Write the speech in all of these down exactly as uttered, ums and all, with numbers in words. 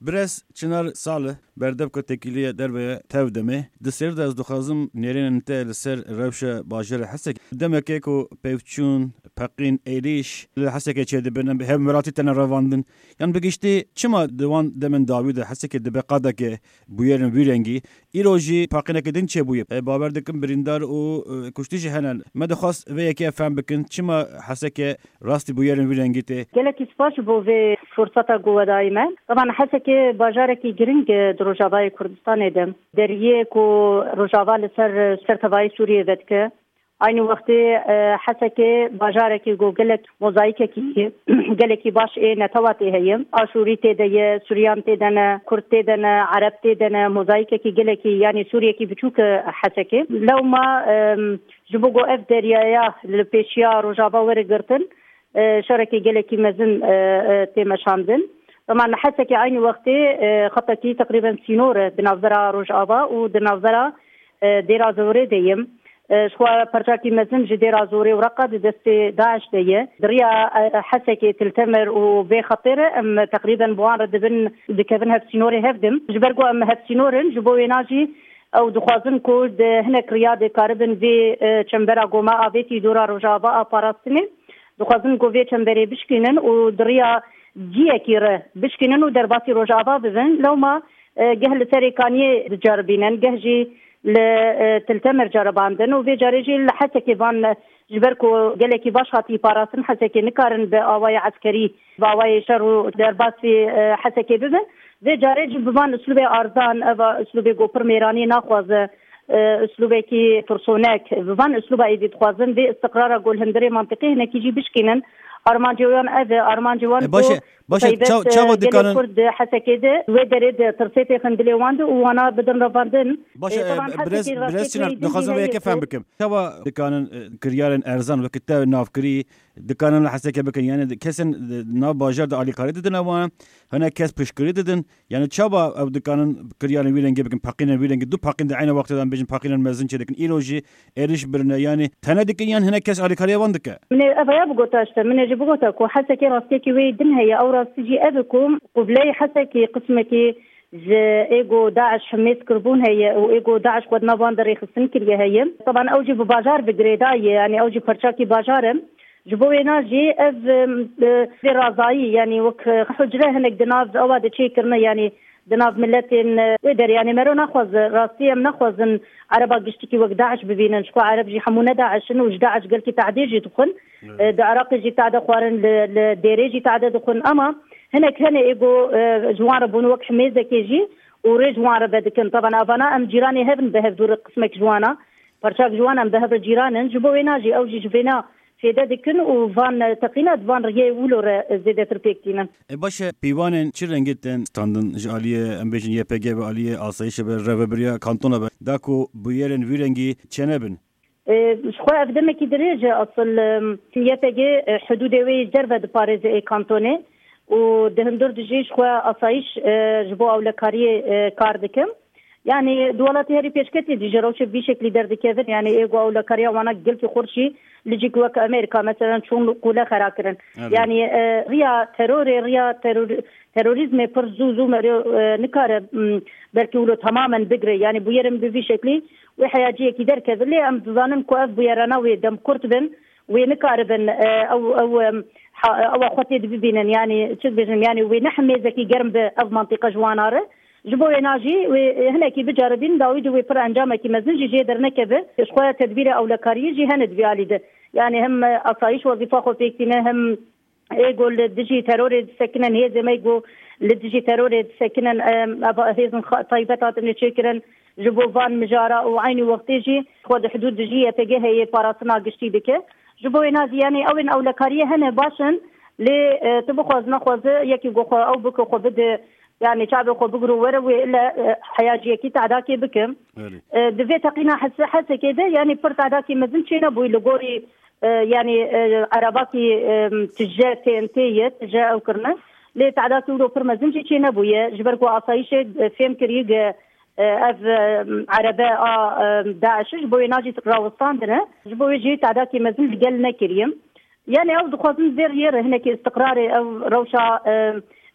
Birêz Çinar Salih, berdevka têkiliya derve ye, tev demê. Di ser de ez dixwazim nêrînên te li ser rewşa bajarê Hesekê. Demekê ku pevçûn, peqîn, êrîş li Hesekê çêdibin, em hev miratî tene revandin. Yan bi giştî çima di wan demên dawî de Hesekê dibe qadeke bûyerên vî rengî? Îro jî peqîneke din çêbûye. E, bawer dikim birîndar û, e, kuştî jî hene. Me dixwest vê yekê fehm bikin, çima Hesekê rastî bûyerên vî rengî tê? Gelekî spas ji bo vê furseta ku we dayî me. Teban Hesekê bajarekî giring e di Rojavayê Kurdistanê de. Deriyê ku Rojava li ser, ser tevayê Sûriyê vedike. Aynî wextê, e, Hesekê bajarekî ku gelek mozayîkekî gelekî baş ê netewa tê heye. Aşûrî tê de ye, Suryan tê de ne, Kurd tê de ne, Ereb tê de ne, mozayîkekî gelekî, yanî Sûriyekî biçûk e Hesekê. Lewma, em, ji bo ku ev deryaya li pêşiya Rojava were girtin, e, şerekê gelekî mezin, e, e, tê meşandin. Lewma li Hesekê aynî wextê, e, xetekî teqrîben sînor e di navbera Rojava û di navbera, e, Dêra Zorê de ye. E, ji xwe perçakî mezin ji Dêra Zorê û Reqa di destê DAIŞ de ye. Di riya, e, Hesekê, Til Temer û vê xetê re em teqrîben bi wan re dibin, dikevin hevsînorê hevdim. Ji ber ku em hevsînor in, ji bo wêna jî ew dixwazin ku di hinek riya dê karibin vê, e, çembera ku me avêtî dora Rojava a parastinê. Dixwazin ku vê çemberê bişkînin û di riya ciyekî re bişkînin û derbasî Rojava bibin. Lewma, e, geh li Serê Kaniyê diceribînin, geh jî li, e, Til Temer ceribandin û vê carê jî li Hesekê van, e, ji ber ku gelekî baş hatî parastin, Hesekê nikarin bi awayê eskerî, bi awayê şer û derbasî, e, Hesekê bibin. Vê carê jî bi van uslûbê arzan, eva uslûbê ku pir mêranî naxwaze, e, uslûbekî tirsonek, bi van uslûba êdî dixwazin vê istiqrara ku li hundirê mantiqî hinekî jî bişkînin. Armancê wan ev e, armancê wan E, baş e, ku baş e, taybet, çaw-, e, çawa gelê dikanin Kurd Hesekê de wê derê de tirsê tê xindilê wan de û wana bidin revandin. Baş e, E, taban e, Hesekê birêz, rastiyê birêz Çinar, wê din dixwazim jî vê heye yekê fehm jî. bikim. Çawa dikanin, e, kiryarên erzan wekî te navkirî, dikanin li Hesekê bikin? Yani kesên, e, nav bajar de alîkarî didin wan, hinek kes piştgirî didin. Yani çawa ew dikanin kiryarên wî rengê bikin, peqînên wî rengî, du peqîn di eyna wextê de em bêjin peqînên mezin çêdikin, îro jî êrîş birine, yani tene dikin yan hinek kes alîkariya wan dike? Min ê ev ya bigota işte, min ê jî bigota ku Hesekê rastiyekî wê din heye, ew rastî jî ev e ku qubleyê Hesekê qismekî ji ê ku DAIŞ himêz kirbûn heye û ê ku DAIŞ xwe di nav wan de rêxistin kiriye heye. Teban ew jî bi bajar bi girêdayî ye, yani ew jî perçakî bajar e. Ji bo wêna jî ev, em, e, vê razayî, yanî wek, e, hucre hinek di nav ewa de çêkirine, yanî di nav miletên, e, wê derê, yanî mero naxwaze, rastî em naxwazin Ereba giştikî wek DAIŞ bibînin. Ji xwe Ereb jî hemû ne DAIŞ in û ji DAIŞ gelkî tehdê jî dixwin. Evet. E, di Iraqê jî tehde xwarin, li, li Dêrê jî tehde dixwin. Ama hinek hene ê ku, e, ji wan re bûn wek himêzekê jî û rê ji wan re vedikin. Teban evana em cîranê hev in bi hevdû re qismek ji wana. Parçak ji wan em bi hev re cîran in. Ji bo wêna jî ew jî ji vêna fêde dikin û van, e, teqîna di van riyê wilo re, e, zêdetir pêk tînin. E, baş e, pîvanên çi rengî tên standin ji aliyê, em bêjin, Y P G be, aliyê asayişê be, rêvebiriya kantona be, da ku bûyerên vî rengî çênebin? E, ji xwe ev demekî dirêj e. Asil, e, Y P G, e, hidûdê wê yê ji derve diparêze ê kantonê û di hundir dijî ji xwe asayiş, e, ji bo ewlekariyê, e, kar dikim. Yani di welatê herî pêşketî de jî rewşek vî şeklî derdikevin. Yani ê ku ewlekariya wana gelkî xurt jî li cîk wek Amerîka, meselen, çûn qûle xera kirin. Evet. Yani, e, riya terorê, riya teror-, terorîzmê pir zû zû merê, e, nikare, m, belkî wilo tamamen bigire. Yani bûyerên bi vî şeklî wê heyaciyekî derkeve. Lê em dizanin ku ev bûyerana wê dem kurt bin, wê nikaribin, e, ew, ew, em, ha-, ewa xwe tê de bibînin. Yani çi dibêjin, yani wê ne himêzekî germ bi ev mantîqe ji wana re. Ji bo wêna jî wê, e, hinekî biceribîn, dawî de wê pir encamekî mezin jî jê dernekeve. Ji xwe tedbîrê ewlekariyê jî hene di vî alî de. Yani hem, e, asayîş wezîfa xwe pêk tîne, hem ê ku li dijî terorê disekinin, hêzê me ku li dijî terorê disekinin, e, eva hêzin xa-, taybet hatine çêkirin ji bo van mijara û eynî wextê jî xwe di hidûd dijî Y P G heye parastina giştî dike. Ji bo wêna jî, yani ew ên ewlekariyê hene baş in, lê, e, tu bixwaz nexwaze yekî ku xwe ew bike xwe bide, yani çavê xwe bigire û were wê ile, e, heyaciyekî tehdakê bike. Belê. E, di vê teqîna Hes-, Hesekê de, yani pir tehdakî mezin çênebûyî li gorî, e, yani, e, Erebakî, e, tije T N T ye, tije ew kirine. Lê tehdakî wilo pir mezin jî çênebûye. Ji ber ku asayîşê, e, fêm kiriye ge, e, ev, e, Erebe a, e, DAIŞ ji bo wê najî rawistandine. Ji bo wê jî tehdakî mezin li gel nekiriye. Yani ew dixwazin vê riyê re hinekî istiqrarê ew rewşa, e,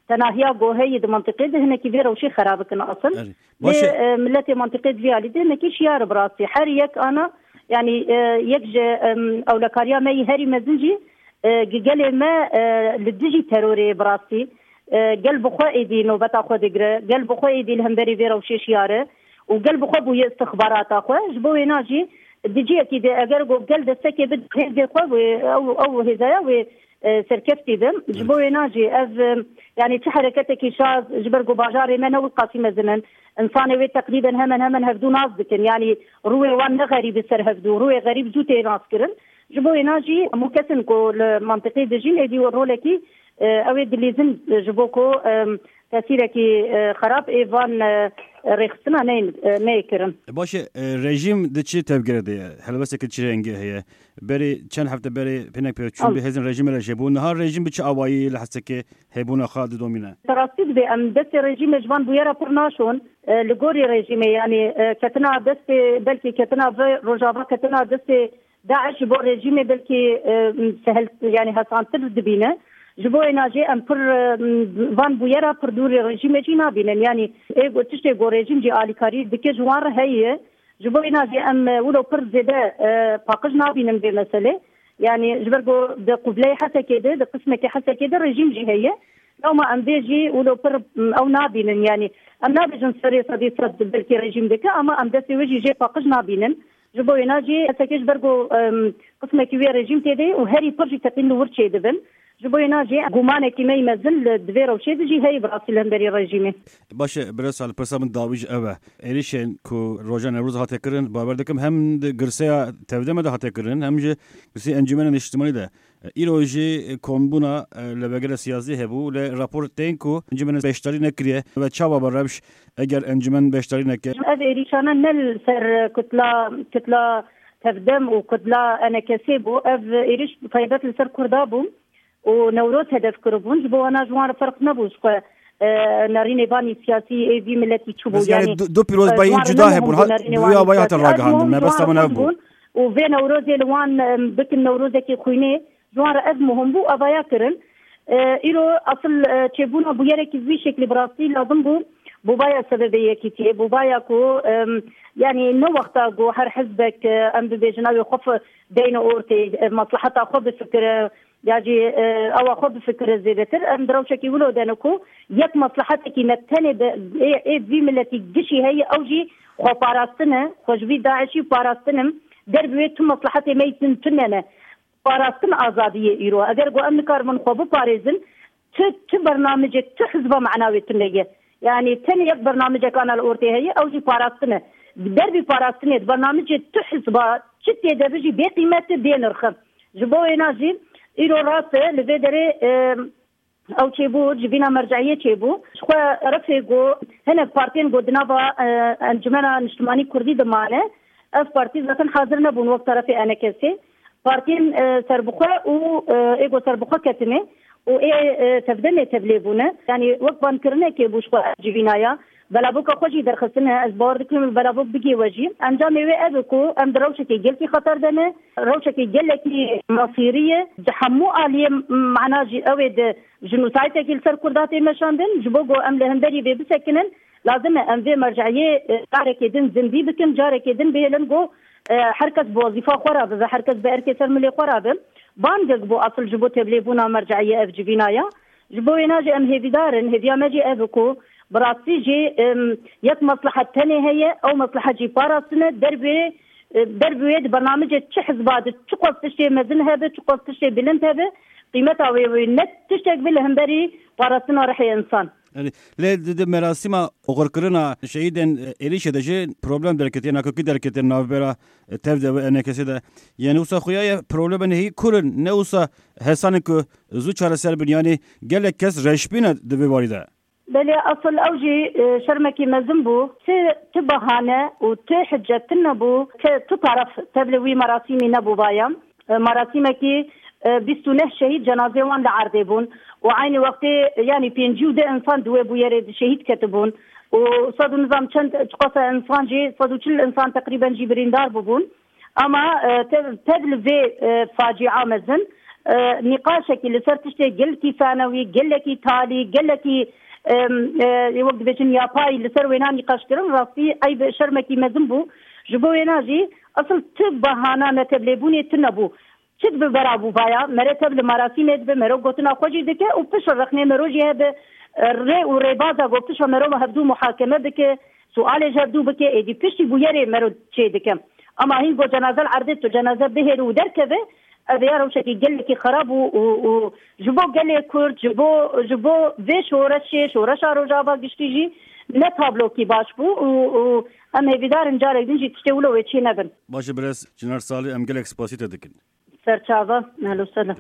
tenahiya ku heye di mentiqê de hinekî vê rewşê xerab bikin asil. Erê. Lê, Baş e. e, milletê mentiqê di vê alî de hinekî şiyar e bi rastî. Her yek ana, yanî, e, yek ji, em, ewlekariya me yî herî mezin jî, e, gi gelê me, e, li dijî terorê ye bi rastî. E, gel bi xwe êdî nobeta xwe digire, gel bi xwe êdî li hemberî vê rewşê şiyar e û gel bi xwe bûye istixbarata xwe. Ji bo wêna jî di cihekî de eger ku gel destekê bide hêzê xwe wê, ew, ew hêzaya wê, e, serkeftî bin. Ji bo wêna jî ev, e, yanî çi hereketekî şaz ji ber ku bajarê me ne wî qasî mezin in. Însanê wê teqrîben hemen hemen hevdû nas dikin. Yanî rûyê wan ne xerîb li ser hevdû, rûyê xerîb zû tê nas kirin. Ji bo wêna jî hemû kesin ku li mantiqê dijîn êdî rolekî, e, ew ê dilîzin ji bo ku, e, tesîrekî, e, xerab ê van, e, rêxistina neyên, e, neyê kirin. Baş e, e, rejîm di çi tevgerê de ye? Helwesteke çi rengî heye? Berê çend hefte berê pênek pê çûn Al. bi hêzên rejîmê re jê bû. Niha rejîm bi çi awayî li Hesekê hêbûna xwe didomîne? Bi rastî divê em destê rejîmê ji van bûyera pir naşon, e, li gorî rejîmê, yanî, e, ketina destê, belkî ketina vê Rojava, ketina destê DAIŞ ji bo rejîmê belkî, e, sehel, yanî hesantir dibîne. Ji bo wêna jî em pir, e, van bûyera pir dûrî rejîmê jî nabînin. Yanî ê ku tiştê ku rejîm jî alîkarî dike ji wan re heye. Ji bo wêna jî em, e, wilo pir zêde, e, paqij nabînin vê meselê. Yanî ji ber ku di qubleyê Hesekê de, di qismekê Hesekê de rejîm jî heye. Lewma em vê jî wilo pir, m, ew nabînin. Yanî em nabêjin serê sedî sed belkî rejîm dike, ama em destê wê jî jê paqij nabînin. Ji bo wêna jî Hesekê ji ber ku, em, qismekî wê rejîm tê de û herî pir jî teqîn li wir çêdibin. Ji bo wêna jî gumanekî me yî mezin li di vê rewşê de jî heye bi rastî li hemberî rejîmê. Baş e, Birêz Salih, pirsa min dawî ji ew e. Êrîşên ku roja Newroz hate kirin, bawer dikim hem di girseya tevde me de hate kirin, hem jî girseyê Encûmena Niştimanî de. Îro jî kombûna, e, li vegera siyasî hebû, lê rapor tên ku encûmen beşdarî nekiriye. Ve çawa be rewş eger encûmen beşdarî neke? Ev êrîşane ne li ser kutla, kutla Tevdem û kutla E N K S bû. Ev êrîş taybet li ser Kurda bû û Newroz hedef kiribûn. Ji bo wana ji wan re ferq nebû ji xwe, e, nerînê vanî siyasî ê vî miletî çi bû. Bes yani Yanî, du, du pîrozbayî e, ji wan re cuda ne hebûn. Muhim bû Ha, nerînê bi vî awayî hatin siyasî. Ev ragihandin. Muhim bû, Mebesta min ev bû. Û vê Newrozê li wan, em, bikin Newrozekî xwînê, ji wan re ev muhim bû, evaya kirin. E, îro asil, e, çêbûna bûyerekî vî şeklî bi rastî lazim bû. Bûbaya sebebê yekîtiyê, bûbaya ku, em, yanî ne wexta ku her hizbek, e, em bibêjin ew ê xwe fi-, deyne ortê, e, maslaheta xwe bifikire, ya jî, e, ewa xwe bifikire zêdetir. Em di rewşekî wilo de ne ku yek maslahetekî ne tenê bi, ê, ê vî miletî gişî heye, ew jî xweparastin e, xwe ji vî DAIŞî parastin in. Der bi wê tu maslahetê me yî din tune ne. Parastin azadiyê îro. Eger ku em nikaribin xwe biparêzin, tu, tu bernamicek, tu hizba mana wê tune ye. Yani tenê yek bernamicek ana li ortê heye, ew jî parastin e. Derbî parastinê di bernamicê tu hizba çi tê de bijî bê qîmet e, bê nirx e. Ji bo wêna jî îro rast e, li vê derê, e, ew çêbû, civîna merceiyê çêbû. Ji xwe refê ku hinek partiyên ku di nava, e, Encûmena Niştimanî Kurdî dimane, ev partî zaten hazir nebûn wek terefê E N K S. Partiyên, e, serbixwe û, e, ê ku serbixwe ketine û ê, e, tevdemê tevlê bûne. Yanî wek bankirinekê bû ji xwe ev civîna ya. Belavoka xwe jî derxistine, ez bawer dikim belavok bigê we jî. Encamê wê ev e ku em di rewşekê gelkî xeter de ne, rewşekê gelekî mesîrî ye. Di hemû aliyê mana jî ew ê di jenosaytekî li ser Kurda tê meşandin. Ji bo ku em li hemberî vê bisekinin, lazim e em vê merceiyê, e, carekê din zindî bikin, carekê din bihêlin ku, e, her kes bi wezîfa xwe re bibe, her kes bi erkê ser milê xwe re be. Bangek bû asil ji bo tevlêbûna merceiyê ev civîna ya. Ji bo wêna jî em hêvîdar in, hêviya me jî ev e ku bi rastî jî, em, yek meslehet tenê heye, ew meslehet jî parastin e, derbê, e, derbê wê di bernamicê çi hizba di çi qas tiştê mezin hebe, çi qas tiştê bilind hebe, qîmeta wê wê ne tiştek be li hemberî parastina rihê însan. Erê, lê di, di merasîma oxirkirina şehîdên, e, êrîşê de jî problem derketiye, nakokî derketiye navbera, e, tevde ve E N K S de. Yani wisa xuya ye problemên heyî kur in, ne wisa hesanên ku zû çareser bin, yani gelek kes reşbîne di vê warî de. Belê, asil ew jî, e, şermekî mezin bû. Ti, ti bahane û ti hicet tune bû ke tu taraf tevlê wî merasîmî nebûbaya. E, merasîmekî, e, bîst û neh şehîd cenazê wan li erdê bûn û eynî wextê, yanî pêncî û du însan di wê bûyerê de şehîd ketibûn û sed û nizam çend çiqasa însan jî, sed û çil însan teqrîben jî birîndar bûbûn. Ama, e, tev, tev li vê, e, facia mezin, e, nîqaşekî li ser tiştê gelekî fenewî, gelekî talî, gelekî, em, e, wek dibêjin yapayî li ser wêna nîqaş kirin, rastî eyb şermekî mezin bû. Ji bo wêna jî esil tu bahana me tevlêbûnê tu nebû. Çi dibe vera bû vaya? Mere tev li marasîmê dibe, mero gotina xwe jî dike û pişt re rexnê mero jî hebe, e, rê û rêbaza go pişt re mero me hevdû muhakeme bike, sualê ji hevdû bike, êdî piştî bûyerê mero çê dike. Ama hîn go cenaze li erdê tu cenaze bihêri û derkeve, ev ya rewşekî gelekî xerab û, û, û ji bo gelê Kurd, ji bo, ji bo vê şoreşê, şoreşa Rojava giştî jî ne tablokî baş bû û, û em hêvîdar in carek din jî tiştê wilo wê çê nebin. Baş e birêz Çinar Salî, em gelek spasî te dikin. Serçava, ehlen we sehlen.